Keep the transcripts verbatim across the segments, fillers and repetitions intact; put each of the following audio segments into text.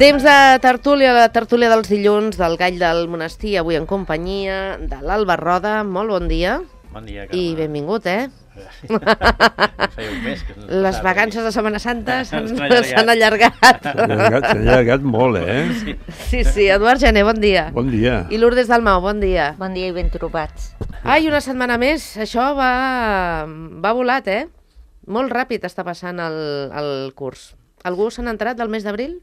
Temps de tertúlia, la tertúlia dels dilluns del Gall del Monestir, avui en companyia de l'Alba Roda. Molt bon dia. Bon dia, Carme. I benvingut, eh? Feia un mes que les vacances de Setmana Santa s'han allargat. allargat. S'han allargat molt, eh? Sí. Sí, sí. Eduard Gené, bon dia. Bon dia. I Lourdes Dalmau, bon dia. Bon dia i ben trobats. Ai, una setmana més. Això va, va volat, eh? Molt ràpid està passant el, el curs. Algú se n'ha enterat del mes d'abril?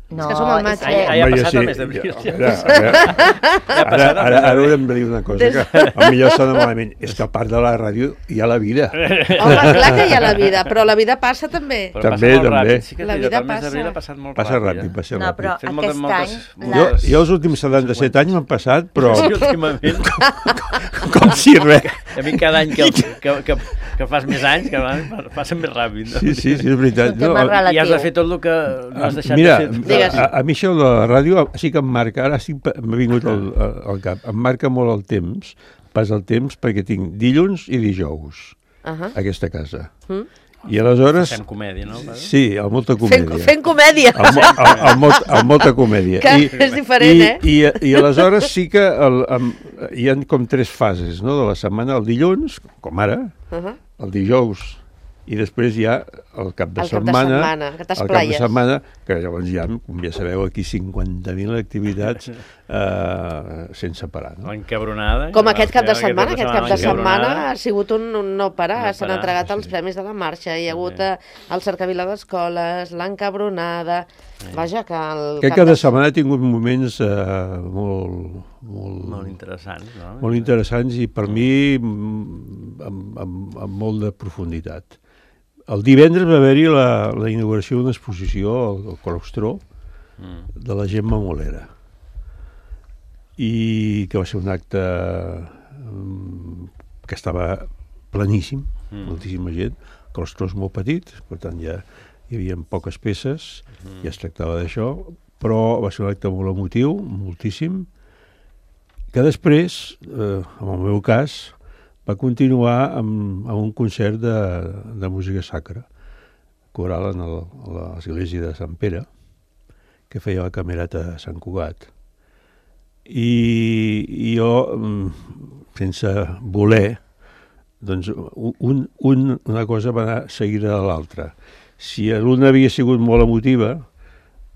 No, és que som al maig. Ah, ja, ja ha passat el mes d'abril. Ara, ara, ara, ara, ara haurem de dir una cosa, que el millor sona malament. És que a part de la ràdio hi ha la vida. Home, clar que hi ha la vida, però la vida passa també. Però També, passa molt també. Ràpid. Sí que La el vida mes passa. d'abril ha passat molt Passa ràpid. ràpid, passa No, però ràpid. Fem moltes, aquest moltes, any... moltes- Jo, les- jo els últims setanta-set anys m'han passat, però Sí, últimament. com si res. A mi cada any que, que, que, que fas més anys, que van, passen més ràpid. No? Sí, sí, sí, és veritat. Un tema relatiu. I has de fer tot el que no has deixat Mira, de fer. Digues. a, a mi això de la ràdio sí que em marca, ara sí que m'ha vingut al, al cap, em marca molt el temps, pas el temps, perquè tinc dilluns i dijous Uh -huh. a aquesta casa. Mm. I aleshores... Fem comèdia, no? Sí, amb molta Fent, comèdia. fent comèdia, Amb, mo- amb, amb, molt, amb molta comèdia. que és diferent, i, eh? I, i aleshores sí que el, amb, hi ha com tres fases, no?, de la setmana. El dilluns, com ara, Uh -huh. el dijous, i després hi ha el cap de El cap de setmana, setmana, que el cap de t'esplaies. setmana, que llavors hi ha, com ja sabeu, aquí cinquanta mil activitats eh, sense parar. No? L'encabronada. Com aquest cap de setmana, aquest cap de l'encabronada. setmana ha sigut un, un no parar, No s'han parar, entregat sí. els premis de la marxa, hi ha hagut eh, el cercavila d'escoles, l'encabronada, vaja, que el Aquest cap de setmana ha tingut moments eh, molt, molt, Molt interessant, no? molt interessants i per mi mm, amb, amb, amb molt de profunditat. El divendres va haver-hi la, la inauguració d'una exposició al, al claustró Mm. de la Gemma Molera, i que va ser un acte mm, que estava pleníssim, Mm. moltíssima gent. El claustró és molt petit, per tant ja hi havia poques peces, Mm. ja es tractava d'això, però va ser un acte molt emotiu, moltíssim, que després, eh, en el meu cas, va continuar amb, amb un concert de, de música sacra, coral en el, a l'església de Sant Pere, que feia la camerata de Sant Cugat. I, i jo, mm, sense voler, doncs un, un, una cosa va anar seguida de l'altra. Si l'una havia sigut molt emotiva,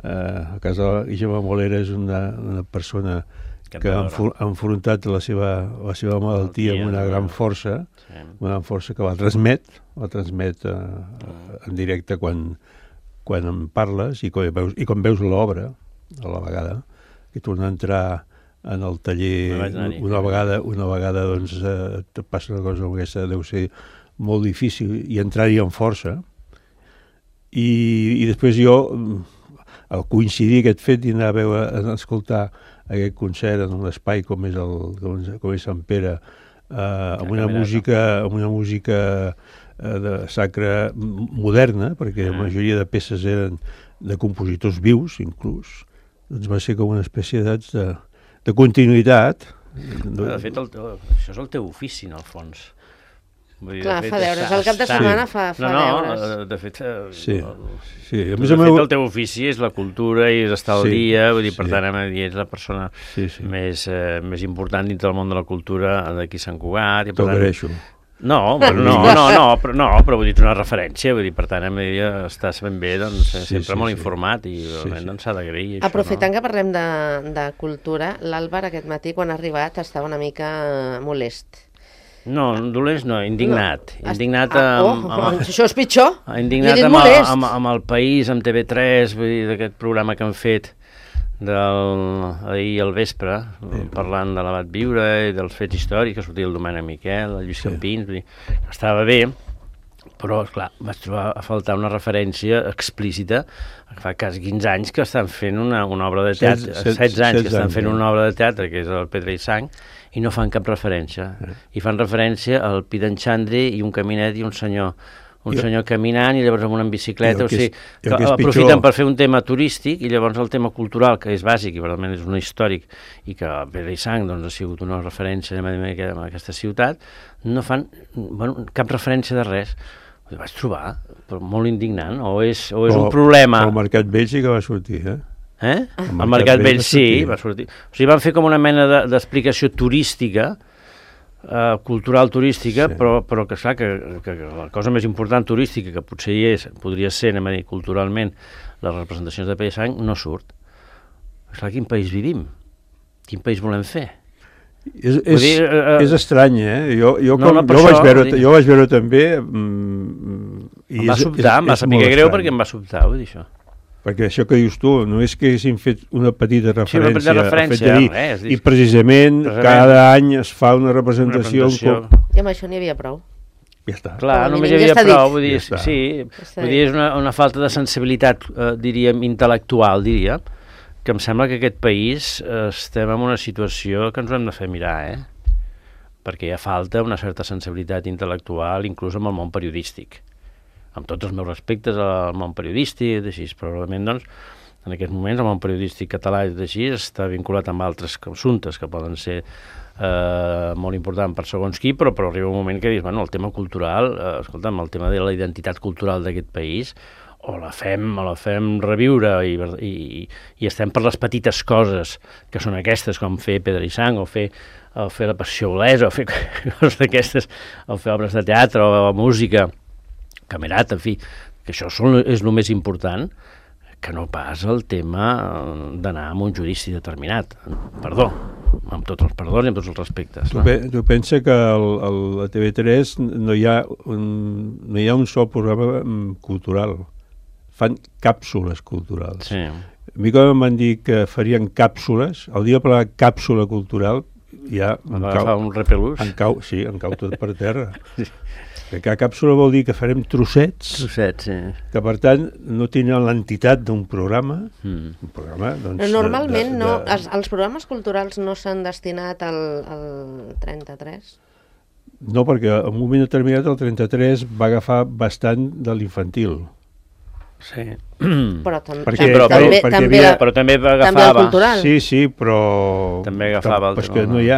eh, a casa de la Gemma Molera és una, una persona que ha enfo- ha enfrontat la seva, la seva malaltia amb una gran força, Sí. una gran força que la transmet, la transmet eh, en directe quan, quan en parles i quan veus, i quan veus l'obra, a la vegada, que torna a entrar en el taller No vaig anar-hi. una vegada, una vegada doncs, eh, et passa una cosa com aquesta, deu ser molt difícil, i entrar-hi amb força. I, i després jo, mm, al coincidir aquest fet i anar a veure, a escoltar aquest concert en un espai com és, el, com és, com és Sant Pere, eh, amb una camerata. música, amb una música eh, de sacra m- moderna, perquè la Ah. majoria de peces eren de compositors vius, inclús, doncs va ser com una espècie de, de continuïtat. De fet, el, teu- això és el teu ofici, en el fons. Vull dir, Clar, de fet, fa deures. està- El cap de està- setmana fa, fa no, no, deures. eh, de fet, eh, Sí, el, sí. A tu, més, de el fet meu... el teu ofici és la cultura i és estar al Sí, dia, vull dir, per sí. tant, hem de dir, ets la persona Sí, sí. més, eh, més important dintre del món de la cultura d'aquí a Sant Cugat. I, per T'ho tant, agraeixo. No, però no, no, no, però, no, però vull dir, una referència, vull dir, per tant, hem de dir, estàs ben bé, doncs, Sí, sempre sí, molt sí. informat i Sí, realment sí. doncs s'ha d'agrair això, Aprofitant no? que parlem de, de cultura, l'Àlvar aquest matí, quan ha arribat, estava una mica molest. No, dolents no, indignat. No. Indignat Ah, amb, oh, amb, això és pitjor. indignat Jo he dit amb, el, molest. amb, amb el País, amb T V tres, vull dir, d'aquest programa que han fet del, ahir al vespre, parlant de l'abat Viure i dels fets històrics, que sortia el Domènec Miquel, el Lluís Sí. Campins, vull dir, que estava bé, però, esclar, vaig trobar a faltar una referència explícita. Fa quasi quinze anys que estan fent una, una obra de teatre, Setze- setze- setze anys que setze estan anys, fent eh? una obra de teatre, que és el Pedra i Sang, i no fan cap referència. I fan referència al Pi d'en Xandri i un caminet i un senyor un I- senyor caminant i llavors amb una bicicleta, I el o que és- sigui, i el que que és aprofiten pitjor- per fer un tema turístic i llavors el tema cultural, que és bàsic i realment és un històric i que Pedra i Sang doncs, ha sigut una referència en aquesta ciutat, no fan bueno, cap referència de res. Ho vaig trobar però molt indignant, o és, o és Però- un problema... però el Mercat Vell sí que va sortir, eh? Eh? El Mercat Vell sí, va sortir. O sigui, van fer com una mena de, d'explicació turística, eh, cultural turística, sí. però, però que, clar, que, que, que la cosa més important turística, que potser hi és, podria ser, anem a dir, culturalment, les representacions de Pere i Sang, no surt. Clar, quin país vivim? Quin país volem fer? És, és, dir, uh, és estrany, eh? Jo, jo, no, com, no, jo, això, vaig veure, dir... jo vaig veure també... Mm, i em va és, sobtar, és, em va saber greu perquè em va sobtar, vull dir això. Perquè això que dius tu, només que haguéssim fet una petita referència, sí, una petita referència a Fetgerí, res, i precisament, precisament cada any es fa una representació... Una representació. Com... I amb això n'hi havia prou. Ja està. Clar, Com només hi havia ja prou, vull dir, ja sí, vull dir, és una, una falta de sensibilitat, eh, diríem, intel·lectual, diria, que em sembla que aquest país eh, estem en una situació que ens ho hem de fer mirar, eh? Perquè hi ha falta una certa sensibilitat intel·lectual, inclús amb el món periodístic. Amb tots els meus respectes al món periodístic, així, probablement, doncs, en aquests moments el món periodístic català així està vinculat amb altres assumptes que poden ser eh, molt importants per segons qui, però, però arriba un moment que dius, bueno, el tema cultural, eh, escolta'm, el tema de la identitat cultural d'aquest país, o la fem, o la fem reviure i, i, i estem per les petites coses que són aquestes, com fer Pedra i Sang, o fer, o fer la Passió Olesa, o fer coses d'aquestes, o fer obres de teatre, o, o música, camerat, en fi, que això són, és el més important, que no pas el tema d'anar a un judici determinat. Perdó, amb tots els perdons i amb tots els respectes. Tu, no? pe tu pensa que el, el, a T V tres no hi ha un, no hi ha un sol programa cultural. Fan càpsules culturals. Sí. A mi quan em van dir que farien càpsules, el dia per la càpsula cultural, ja em va agafar un repelús. Em cau, sí, em cau tot per terra. Sí. Que cada càpsula vol dir que farem trossets, trossets sí. que per tant no tenen l'entitat d'un programa. Mm. Un programa doncs, Però normalment de, de, no, de... els, els programes culturals no s'han destinat al, al trenta-tres? No, perquè en un moment determinat el trenta-tres va agafar bastant de l'infantil. Sí. Però, tam perquè, sí, però, també, perquè també, havia... però també agafava... també el cultural. Sí, sí, però... També agafava el... Però és que no hi ha...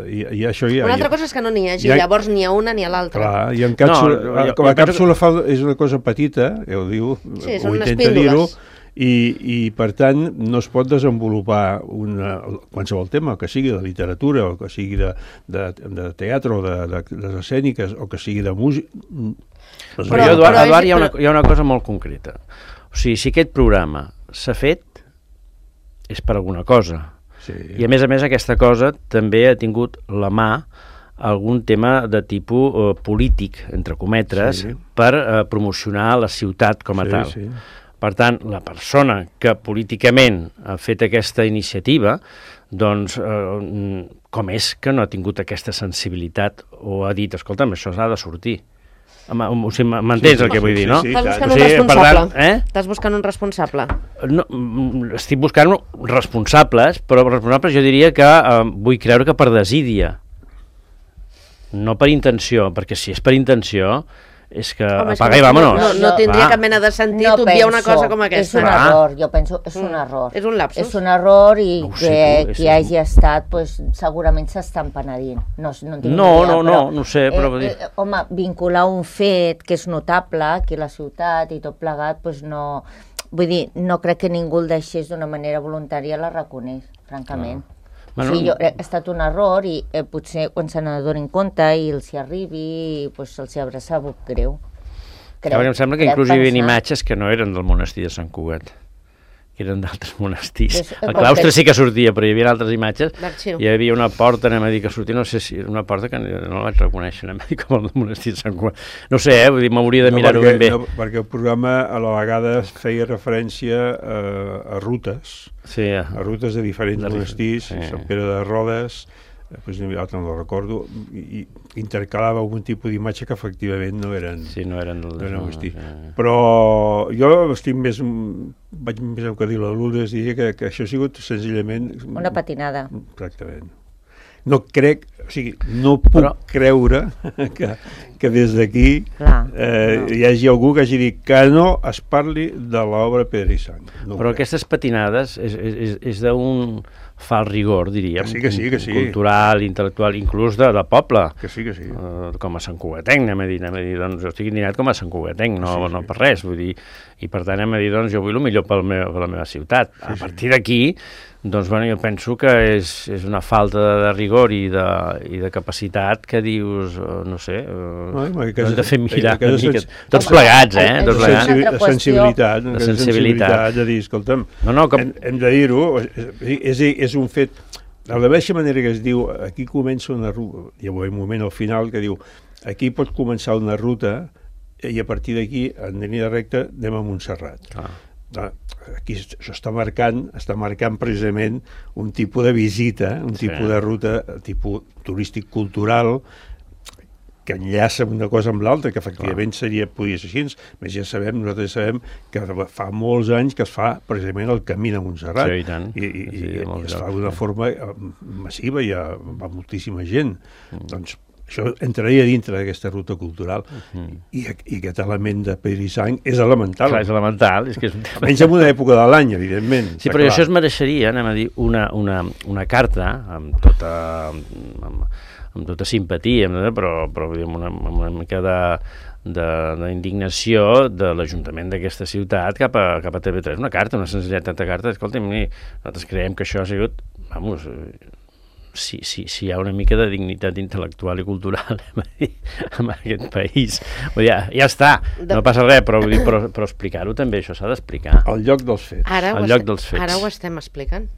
I, i això hi ha Una altra ha... cosa és que no n'hi hagi, ha... llavors ni a una ni a l'altra. Clar, i en càpsula... No, no, jo, com a jo càpsula penso... fa, és una cosa petita, ja ho diu, sí, ho intenta dir-ho, i, i per tant no es pot desenvolupar una, qualsevol tema, que sigui de literatura, o que sigui de, de, de teatre, o de, de, de les escèniques, o que sigui de música... Però, però jo, Eduard, Eduard hi, ha una, hi ha una cosa molt concreta. O sigui, si aquest programa s'ha fet, és per alguna cosa. Sí. I a més a més aquesta cosa també ha tingut la mà algun tema de tipus eh, polític, entre cometres, sí. per eh, promocionar la ciutat com a sí, tal. Sí. Per tant, la persona que políticament ha fet aquesta iniciativa, doncs, eh, com és que no ha tingut aquesta sensibilitat o ha dit, escolta'm, això s'ha de sortir. O sigui, m'entens sí, el que vull dir, no? Estàs buscant o sigui, un responsable. Tant, eh? Estàs buscant un responsable. No, estic buscant responsables, però responsables jo diria que eh, vull creure que per desídia. No per intenció, perquè si és per intenció és que Home, apaga i vámonos. No, no, no tindria cap mena de sentit no obviar una cosa com És aquesta. un error, jo penso, és un error. És un lapsus. És un error i No ho que sé, tu, qui és- hagi estat pues, segurament s'estan penedint. No, no, en tinc No, ni idea, no, no, però, no ho sé, però vull dir- Eh, eh, home, vincular un fet que és notable aquí a la ciutat i tot plegat, pues no... Vull dir, no crec que ningú el deixés d'una manera voluntària, la reconeix, francament. Bueno, Bueno, sí, jo, ha estat un error i eh, potser quan se n'adonin compte i els hi arribi, pues, els hi haurà sabut greu. Crec, em sembla que inclús hi havia imatges que no eren del monestir de Sant Cugat, que eren d'altres monestirs. Pues, El claustre sí que sortia, però hi havia altres imatges. D'arxiu. Hi havia una porta, anem a dir, que sortia, no sé si era una porta que no la vaig reconèixer, anem a dir, com el del monestir de Sant Cugat. No sé, eh, vull dir, m'hauria de No, mirar-ho perquè, ben bé. no, perquè el programa a la vegada feia referència a, a rutes, Sí, a rutes de diferents De monestirs, sí. Sant Pere de Rodes, després n'hi havia altre, no el recordo, i, i intercalava algun tipus d'imatge que efectivament no eren, sí, no eren del... no eren monestir. sí. Però jo estic més, vaig més amb que dir la Lourdes, diria que, que això ha sigut senzillament... Una patinada. Exactament. No crec, o sigui, no puc Però... creure que, que des d'aquí Clar, eh, no. hi hagi algú que hagi dit que no es parli de l'obra Pedra i Sang. No Però crec. aquestes patinades és, és, és d'un fa el rigor, diríem, que sí, que sí, que sí. cultural, intel·lectual, inclús de, de poble. Que sí, que sí. Uh, com a Sant Cugatenc, anem a dir, anem a dir, doncs jo estic indignat com a Sant Cugatenc, no, sí, sí. no per res, vull dir, i per tant anem a dir, doncs jo vull el millor pel meu, per la meva ciutat. Sí, a partir sí. d'aquí, doncs bueno, jo penso que és, és una falta de, de rigor i de, i de capacitat que dius, uh, no sé, uh, no, no hem de fer mirar una mica, tots plegats, eh? Tots plegats. De sensibilitat, de sensibilitat, de dir, escolta'm, no, no, com... hem, hem de dir-ho, és, és un fet, de la mateixa manera que es diu, aquí comença una ruta, hi ha un moment al final que diu, aquí pot començar una ruta i a partir d'aquí, en línia recta, anem a Montserrat. Ah. Aquí això està marcant, està marcant precisament un tipus de visita, un sí. tipus de ruta, tipus turístic cultural, que enllaça una cosa amb l'altra, que efectivament seria, podria ser així, més ja sabem, nosaltres sabem que fa molts anys que es fa precisament el camí a Montserrat, sí, i, tant. i, i, sí, i es fa d'una forma massiva, i va moltíssima gent. Mm. Doncs això entraria dintre d'aquesta ruta cultural. Uh-huh. I, I aquest element de pedra i sang és elemental. Clar, és elemental. És que és un tema... Menys en una època de l'any, evidentment. Sí, però clar. Això es mereixeria, anem a dir, una, una, una carta amb tota, amb, amb tota simpatia, però, però amb, una, amb una mica de d'indignació de, de l'Ajuntament d'aquesta ciutat cap a, cap a T V tres. Una carta, una senzilletat de carta. Escolta'm, nosaltres creiem que això ha sigut... Vamos, Si, si, si hi ha una mica de dignitat intel·lectual i cultural en aquest país. Vull dir, ja, ja està, no passa res, però, vull dir, però, però explicar-ho també, això s'ha d'explicar. Al lloc dels fets. Ara Al lloc dels fets. Ara ho estem explicant.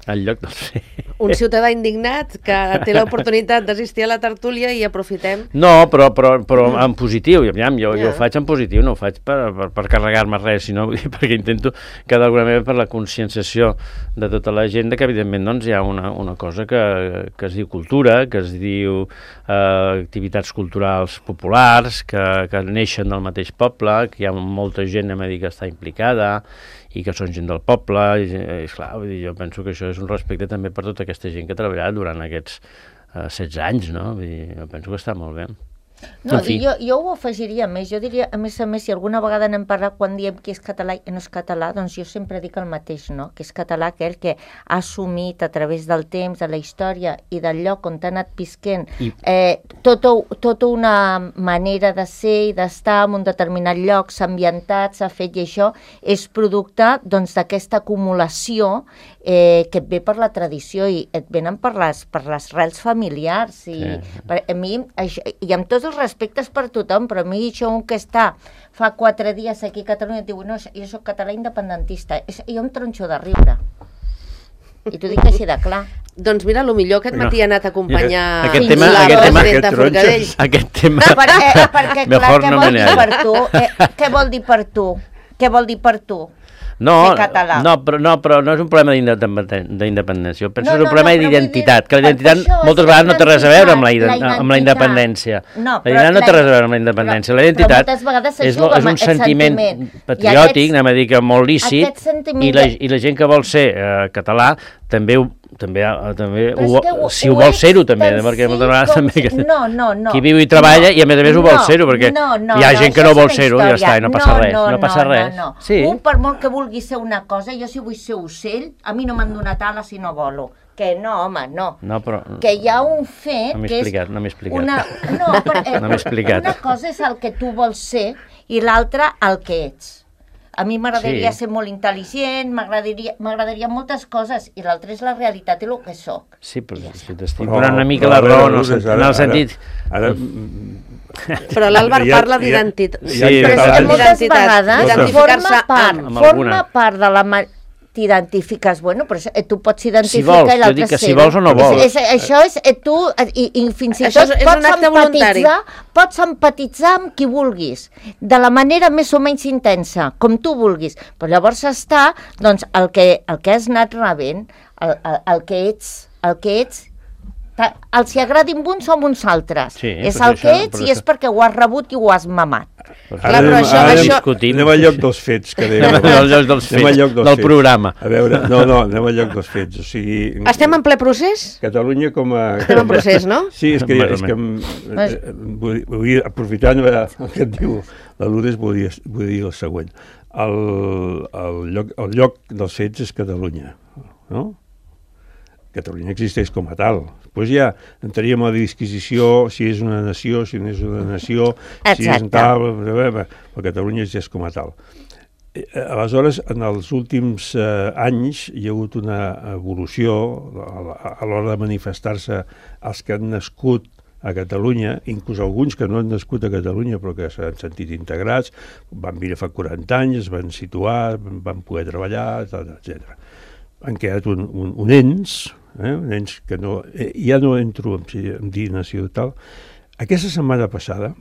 Al lloc dels fets. Un ciutadà indignat que té l'oportunitat d'assistir a la tertúlia i aprofitem... No, però, però, però en positiu, jo, jo, jo ho faig en positiu, no ho faig per, per, per carregar-me res, sinó perquè intento que d'alguna manera per la conscienciació de tota la gent que evidentment doncs, hi ha una, una cosa que, que es diu cultura, que es diu eh, activitats culturals populars, que, que neixen del mateix poble, que hi ha molta gent a dir, que està implicada, i que són gent del poble, i, i clar, vull dir, jo penso que això és un respecte també per tota aquesta gent que ha treballat durant aquests uh, setze anys, no? Vull dir, jo penso que està molt bé. No, jo, jo ho afegiria més, jo diria, a més a més, si alguna vegada n'hem parlat quan diem que és català i no és català, doncs jo sempre dic el mateix, no? Que és català aquell que ha assumit a través del temps, de la història i del lloc on t'ha anat visquent, I... eh, tota, tota una manera de ser i d'estar en un determinat lloc, s'ha ambientat, s'ha fet, i això és producte doncs d'aquesta acumulació eh, que et ve per la tradició i et venen per les, per les rels familiars i sí. per, a mi, això, i amb tots els respectes per tothom, però a mi això un que està fa quatre dies aquí a Catalunya et diu, no, jo soc català independentista, jo em tronxo de riure i t'ho dic així de clar. Doncs mira, el millor aquest matí ha anat a acompanyar aquest tema, la aquest tema, de Forcadell. Aquest tema, per, eh, perquè clar, què no vol dir per tu? Eh, què vol dir per tu? Què vol dir per tu? No, no, però, no, però no és un problema d'independència. Jo penso no, que és un no, problema no, d'identitat, que la identitat moltes vegades no té res a veure amb la, la, amb la independència. No, la identitat no té res a veure amb la independència. La identitat és, és un sentiment patriòtic, anem a dir que molt lícit, i la, i la gent que vol ser eh, català també ho també, també ho, ho, si ho, ho vol ser-ho també, perquè moltes vegades també que, no, no, no, qui viu i treballa no, i a més a més ho no, vol ser-ho, perquè no, no, hi ha no, gent que no vol ser-ho i ja està, i no passa no, res, no, no passa no, res. No, no. Sí. Un, per molt que vulgui ser una cosa, jo si vull ser ocell, a mi no m'han donat ales si no volo. Que no, home, no. no però, que hi ha un fet no que és... No m'he explicat. Una, no, per, eh, no m'he explicat. Una cosa és el que tu vols ser i l'altra el que ets. A mi m'agradaria sí. ser molt intel·ligent, m'agradaria moltes coses, i l'altre és la realitat i el que soc. Sí, però ja si t'estic donant una mica la raó, no en el sentit... Ara, ara, però l'Àlvar parla d'identitat. Sí, però és que moltes vegades forma part, forma part de la... t'identifiques, bueno, però eh, tu pots identificar si vols, jo dic que si vols o no vols. És, és, això és, eh, tu, i, i fins i això tot és, és pots empatitzar, pots empatitzar amb qui vulguis, de la manera més o menys intensa, com tu vulguis, però llavors està, doncs, el que, el que has anat rebent, el, el, el que ets, el que ets, els hi agradin uns o uns altres. Sí, és el que ets i és perquè ho has rebut i ho has mamat. Ara, Clar, però això, ara això... anem al lloc dels fets, que dèiem. Anem al lloc dels fets, lloc dels del fets. Programa. A veure, no, no, anem al lloc dels fets. O sigui, estem en ple procés? Catalunya com a... Estem en procés, no? Sí, és que, és que vull, vull, aprofitant el que et diu la Lourdes, vull dir, vull dir el següent. El, el, lloc, el lloc dels fets és Catalunya, no? Catalunya existeix com a tal. Després ja entraríem a la disquisició si és una nació, si no és una nació, si és tal, però Catalunya existeix com a tal. Aleshores, en els últims eh, anys hi ha hagut una evolució a, a l'hora de manifestar-se els que han nascut a Catalunya, inclús alguns que no han nascut a Catalunya però que s'han sentit integrats, van venir fa quaranta anys, es van situar, van poder treballar, etcètera. Han quedat un, un, un ens, eh, un ens que no, eh, ja no entro en, en dir nació tal. Aquesta setmana passada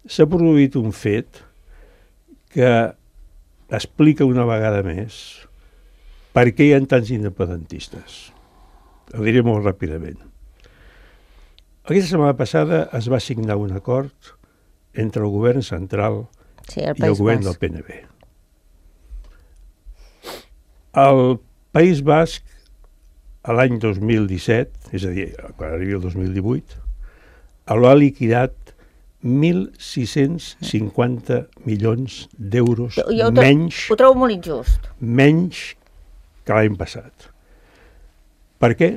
s'ha produït un fet que explica una vegada més per què hi ha tants independentistes. Ho diré molt ràpidament. Aquesta setmana passada es va signar un acord entre el govern central sí, el i el govern del P N B. El País Basc, a l'any dos mil disset, és a dir, quan arribi el dos mil divuit, l'ha liquidat mil sis-cents cinquanta milions d'euros menys... Ho trobo molt injust. Menys que l'any passat. Per què?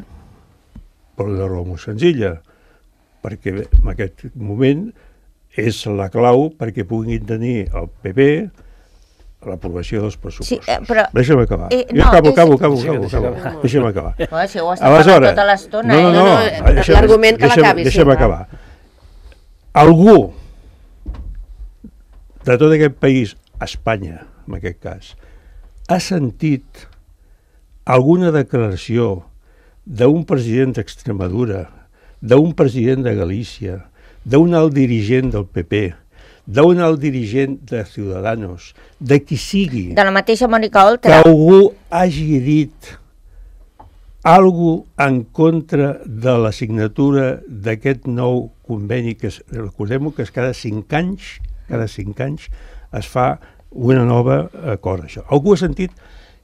Per una raó molt senzilla. Perquè en aquest moment és la clau perquè puguin tenir el P P l'aprovació dels pressupostos. Sí, eh, però... Deixa'm acabar. Eh, no, jo acabo, és... acabo, acabo, acabo, acabo, acabo. Deixa'm acabar. Bueno, si ho està parlant tota l'estona, no, no, no, eh? no, no l'argument que l'acabi. Deixa'm sí, acabar. Algú de tot aquest país, Espanya, en aquest cas, ha sentit alguna declaració d'un president d'Extremadura, d'un president de Galícia, d'un alt dirigent del P P, d'un alt dirigent de Ciudadanos, de qui sigui... De la mateixa Mònica Oltra. Que algú hagi dit alguna cosa en contra de la signatura d'aquest nou conveni, que recordem-ho que és cada cinc anys, cada cinc anys es fa una nova acord. Això. Algú ha sentit...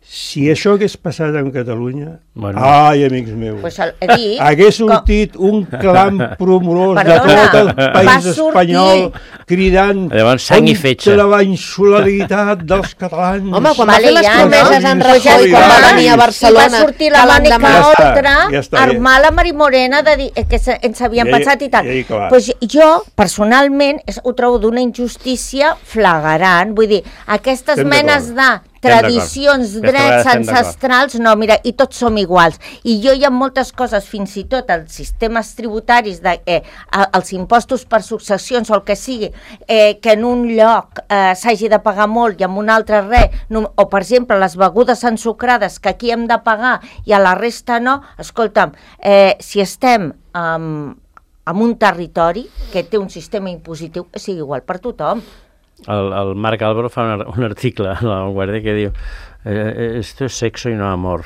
Si això hagués passat en Catalunya, bueno. Ai, amics meus, pues el, dit, hagués sortit com... un clam promorós Perdona, de tot el país espanyol cridant contra la insolidaritat dels catalans. Home, quan va fer les promeses en Rajoy, quan va venir a Barcelona, va sortir la Mònica Oltra a armar la Mari Morena de dir que ens havien ja, pensat i tal. Ja, pues jo, personalment, ho trobo d'una injustícia flagrant. Vull dir, aquestes menes de tradicions, drets ancestrals, no, mira, i tots som iguals. I jo hi ha moltes coses, fins i tot els sistemes tributaris, de, eh, els impostos per successions o el que sigui, eh, que en un lloc eh, s'hagi de pagar molt i en un altre res, no, o per exemple les begudes ensucrades que aquí hem de pagar i a la resta no, escolta'm, eh, si estem um, en un territori que té un sistema impositiu, que sigui igual per tothom. El, el Marc Álvaro fa un, un article a La Vanguardia que diu eh, esto es sexo y no amor.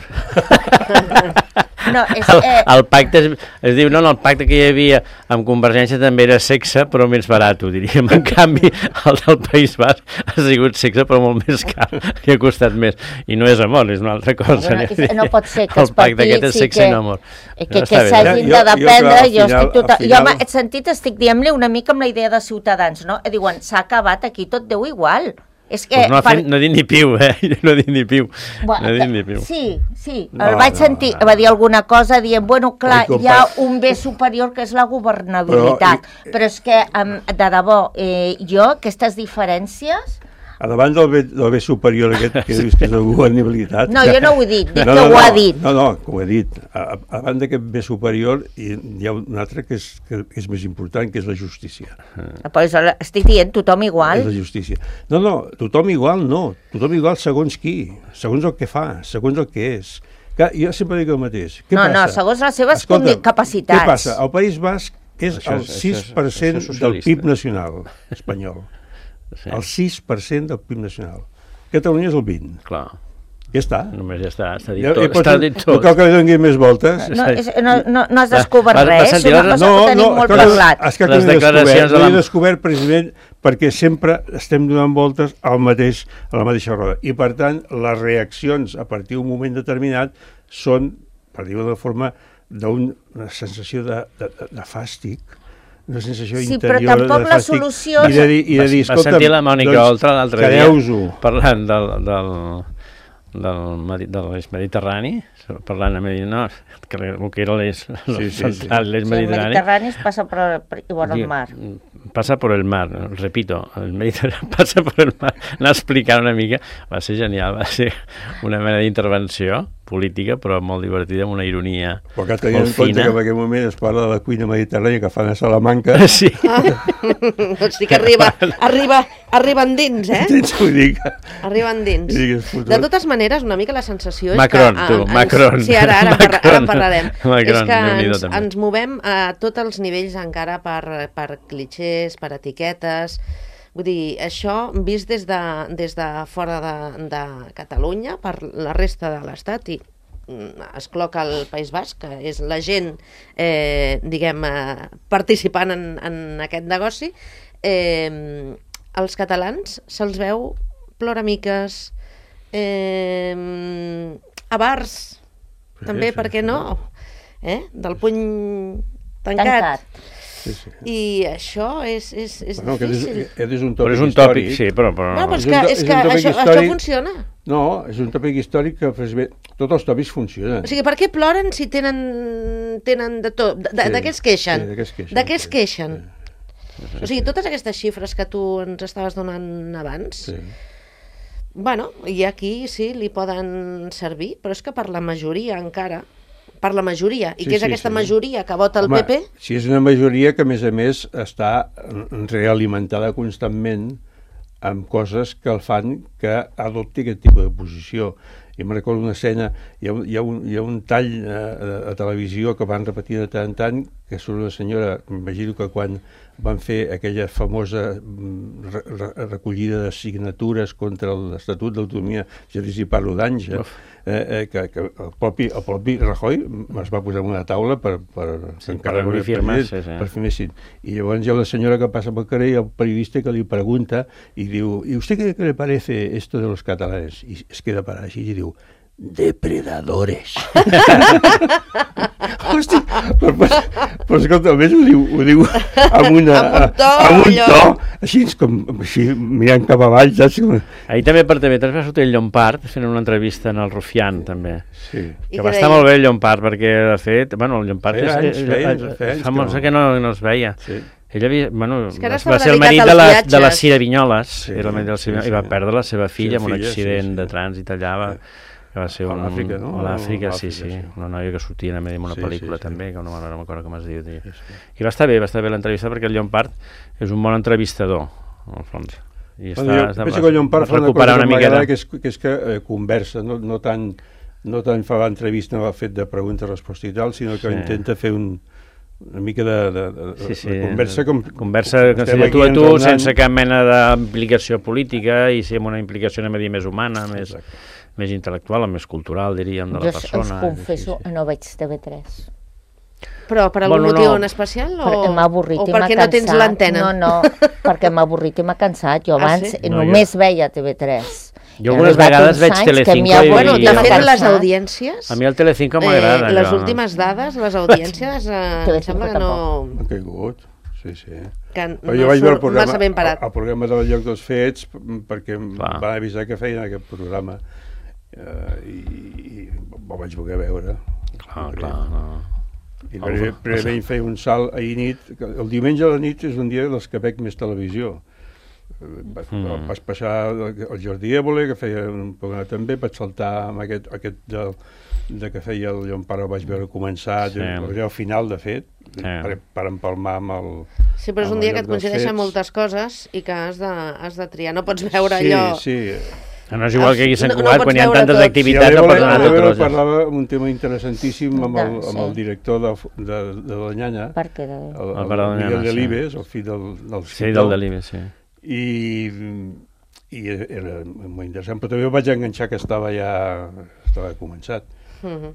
No, és, eh... el, el pacte es, es diu, no, no, el pacte que hi havia amb Convergència també era sexe, però més barat, diríem. En canvi, el del País Basc ha sigut sexe, però molt més car, que ha costat més. I no és amor, és una altra cosa. No, no, no pot ser que els partits... El pacte aquest és sexe i no amor. Que, que, que s'hagin de dependre, jo, jo, estic tota... final... jo en aquest sentit estic dient-li una mica amb la idea de Ciutadans, no? Diuen, s'ha acabat aquí, tot deu igual. És que pues no, per... fet, no he dit ni piu, eh? No he dit ni piu. Bueno, no he dit ni piu. Sí, sí. No, el vaig no, sentir, no. va dir alguna cosa dient, bueno, clar, hi ha un bé superior que és la governabilitat. Però, però és que, de debò, eh, jo, aquestes diferències... A davant del bé, del bé superior aquest que dius que és la governabilitat... No, jo no ho he dit, dic no, que no, ho no, ha dit. No, no, que ho he dit. A, a davant d'aquest bé superior hi ha un altre que és, que és més important, que és la justícia. Però estic dient tothom igual. És la justícia. No, no, tothom igual no. Tothom igual segons qui, segons el que fa, segons el que és. Que, jo sempre dic el mateix. Què no, passa? no, segons les seves Escolta, capacitats. Què passa? El País Basc és això, el sis per cent això, això del P I B nacional espanyol. Sí. El sis per cent del P I B nacional. Catalunya és el vint. Clar. Ja està. Només ja està, està dit tot. Està dit tot. No cal que li doni més voltes. No, és, no, no, no has descobert va, res, és una cosa no, que tenim no, molt parlat. És que les declaracions l'he descobert precisament perquè sempre estem donant voltes al mateix, a la mateixa roda. I per tant, les reaccions a partir d'un moment determinat són, per dir-ho de forma, d'una sensació de, de, de fàstic, una sensació sí, interior però tampoc la solució... I de dir, i de dir va sentir la Mònica Oltra l'altre dia parlant del, del, del, de l'eix mediterrani, parlant amb ell, no, que el que era l'eix sí, sí, sí. l'eix sí, mediterrani. El Mediterrani passa per, per, por el mar. Passa por el mar, repito, el Mediterrani passa por el mar. Anar a explicar una mica, va ser genial, va ser una mena d'intervenció política, però molt divertida, amb una ironia però que tenint en compte que en aquell moment es parla de la cuina mediterrània que fan a Salamanca. Sí. Ah, doncs sí que arriba, arriba, arriba endins, eh? Vull dir que... Arriba endins. De totes maneres, una mica la sensació és Macron, que... tu, ens, Macron. Sí, ara, ara, Macron. Parla, ara en parlarem. Macron, és que ens, també. ens movem a tots els nivells encara per, per clichés, per etiquetes. Vull dir, això vist des de, des de fora de, de Catalunya, per la resta de l'Estat, i es cloca el País Basc, que és la gent, eh, diguem, eh, participant en, en aquest negoci, eh, els catalans se'ls veu ploramiques, eh, a bars, sí, també, sí, per què sí. no? Eh? Del puny tancat. tancat. Sí, sí. I això és, és, és bueno, difícil. És, és un tòpic, però és un tòpic sí, però... però... No, però és, és que, un, és és que un això, històric... això funciona. No, és un tòpic històric que tots els tòpics funcionen. O sigui, per què ploren si tenen, tenen de tot? De, de, sí, de què es queixen? Sí, de què es queixen? De què es queixen? Sí. O sigui, totes aquestes xifres que tu ens estaves donant abans, sí. bueno, i aquí sí, li poden servir, però és que per la majoria encara... per la majoria, i sí, que és sí, aquesta sí. majoria que vota el Home, P P... si és una majoria que, a més a més, està realimentada constantment amb coses que el fan que adopti aquest tipus de posició. I me'n recordo una escena, hi ha, hi ha, un, hi ha un tall a, a televisió que van repetir de tant en tant, que surt una senyora, m'imagino que quan van fer aquella famosa re, re, recollida de signatures contra l'Estatut d'Autonomia, ja dir si parlo d'anys, eh, eh, que, que el, propi, el propi Rajoy es va posar en una taula per, per, sí, per recollir firmes, sí, sí. Per fer més. I llavors hi ha una senyora que passa pel carrer i el periodista que li pregunta i diu, ¿y usted qué, qué le parece esto de los catalanes? I es queda parat així i diu, depredadores. Hosti, però, però, però escolta, a més ho diu, ho diu amb, una, amb un to, amb un to així, com, així mirant cap avall, saps? Ahir també per T V tres va sortir el Llompart fent una entrevista en el Rufián, també. Sí. Que va estar molt bé el Llompart, perquè de fet, bueno, el Llompart feia anys, és, feia anys, feia anys fa molt que no, no es veia. Sí. Ell havia, bueno, va ser el marit de la, de la Cira Vinyoles, sí, era el marit de la Cira Vinyoles, sí, sí. I va perdre la seva filla sí, amb un accident sí, sí. de trànsit allà. Va, que va ser un... A l'Àfrica, no? A l'Àfrica, sí, sí, sí. Una noia que sortia en una sí, pel·lícula sí, sí. també, que no m'acordo com es diu. Sí, sí. I va estar bé, va estar bé l'entrevista, perquè el Llompart és un bon entrevistador, al fons. I bueno, està, jo penso que el Llompart fa una cosa una que m'agrada, que és que, és que eh, conversa, no, no, tant, no tant fa l'entrevista, no ha fet de pregunta-resposta i tal, sinó que sí. intenta fer un, una mica de, de, de, sí, sí. de conversa com... Conversa com si tu a tu, sense cap mena d'implicació política i sí, amb una implicació, anem a dir, més humana, més... Exacte. més intel·lectual o més cultural, diríem, de la jo persona. Jo us confesso, sí, sí. no veig T V tres. Però per algun bueno, motiu no. en especial? O, perquè m'ha avorrit o i m'ha perquè cansat. No tens l'antena? No, no, perquè m'ha avorrit i m'ha cansat. Jo abans ah, sí? no, només jo... veia T V tres. Jo algunes vegades veig Telecinco i... Bueno, de fet, les audiències... A mi el Telecinco m'agrada. Eh, les últimes dades, les audiències, eh, em sembla que no... Han caigut. Sí, sí. Que no jo vaig veure el programa, massa ben parat. El, el programa del Lloc dels Fets, perquè em Va. van avisar que feien aquest programa. Uh, i, i ho vaig voler veure. Clar, clar, no. I prèviament feia un salt ahir nit. El diumenge a la nit és un dia dels que veig més televisió. Va, mm. Vaig passar el Jordi Évole, que feia un programa també, vaig saltar amb aquest, aquest de, de que feia el Llompart, el vaig veure començar, sí. al final, de fet, sí. per, per empalmar amb el... Sí, però és un dia que et coincideixen moltes coses i que has de, has de triar. No pots veure sí, allò... Sí, sí. No és igual que aquí a Sant no, Cugat, no quan hi ha tantes tot. activitats, sí, no pots anar a totes. Parlava un tema interessantíssim amb el, amb el director de, de, de la Nyanya, per què? El, el, el, el Miguel Delibes, el fill del, del Sí, del Delibes, sí. I, i era molt interessant, però també ho vaig enganxar que estava ja estava començat. Mm-hmm.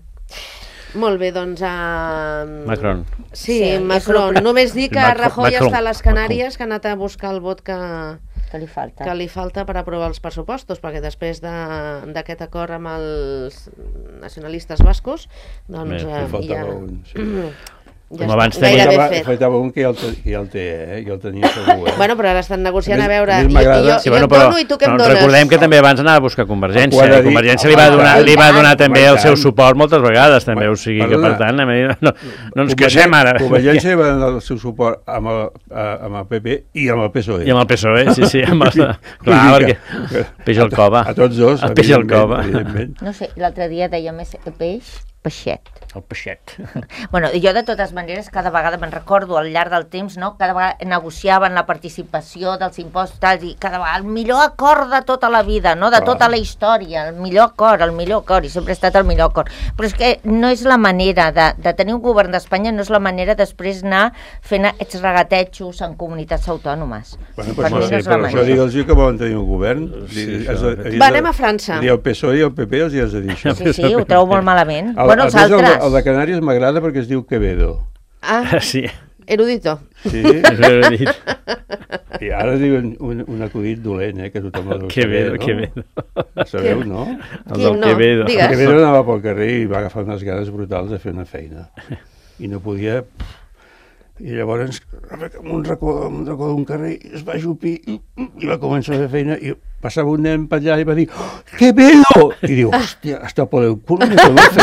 Molt bé, doncs... Uh... Macron. Sí, sí Macron. Només dir que Rajoy Macron. està a les Canàries, que ha anat a buscar el vot que... que li falta. que li falta per aprovar els pressupostos, perquè després d'aquest de, acord amb els nacionalistes bascos, doncs Bé, eh, ja... Un, sí. Ja Com abans està, tenia- gairebé Faltava, fet. faltava un que ja el, te, que ja el té, eh? Ja el tenia segur, eh? Bueno, però ara estan negociant A a més- veure... a més Jo, m'agrada- jo, Sí, jo bueno, et però, dono i tu què em però dones? recordem que també abans anava a buscar Convergència, Ho ha de i dir- Convergència li va home, donar, i li va tant, donar home, també i el seu tant. suport moltes vegades, també, o sigui que, Perdona. per tant, anem a dir, no, no ens queixem ara. Convergència va donar el seu suport amb el, a- amb el P P i amb el P S O E. I amb el P S O E, sí, sí, amb el, clar, Vull dir perquè que- peix al cova. A tots dos, El peix al evidentment, cova. evidentment. No sé, l'altre dia deia més peix, peixet. El peixet. Bueno, jo de totes maneres cada vegada me'n recordo al llarg del temps, no? Cada vegada negociaven la participació dels impostos tals, i cada vegada el millor acord de tota la vida, no? De Clar. tota la història, el millor acord, el millor acord, i sempre ha estat el millor acord. Però és que no és la manera de, de tenir un govern d'Espanya, no és la manera després anar fent aquests regatejos en comunitats autònomes. Bueno, Per per mi això, no és per la això manera. digue'ls que volen tenir un govern. Sí, Di- això, has de- de fet. has de- Va, anem a França. Dir el P S O E i el P P els hi has de dir això. Sí, sí, ho trobo molt malament. El, bueno, a els més, el, de- altres... el de Canàries m'agrada perquè es diu Quevedo. Ah, Sí, erudito. Sí? és l'he dit. I ara diuen un, un acudit dolent, eh, que tothom el deu Quevedo, saber, no? Quevedo. Ho sabeu, no? El Quin del no? Quevedo. Digues. Quevedo anava pel carrer i va agafar unes ganes brutals de fer una feina. I no podia... I llavors, en un racó, en un racó d'un carrer, es va ajupir i, i va començar a fer feina i passava un nen per allà i va dir oh, Quevedo! I diu, hòstia, hasta por el culo me conoce.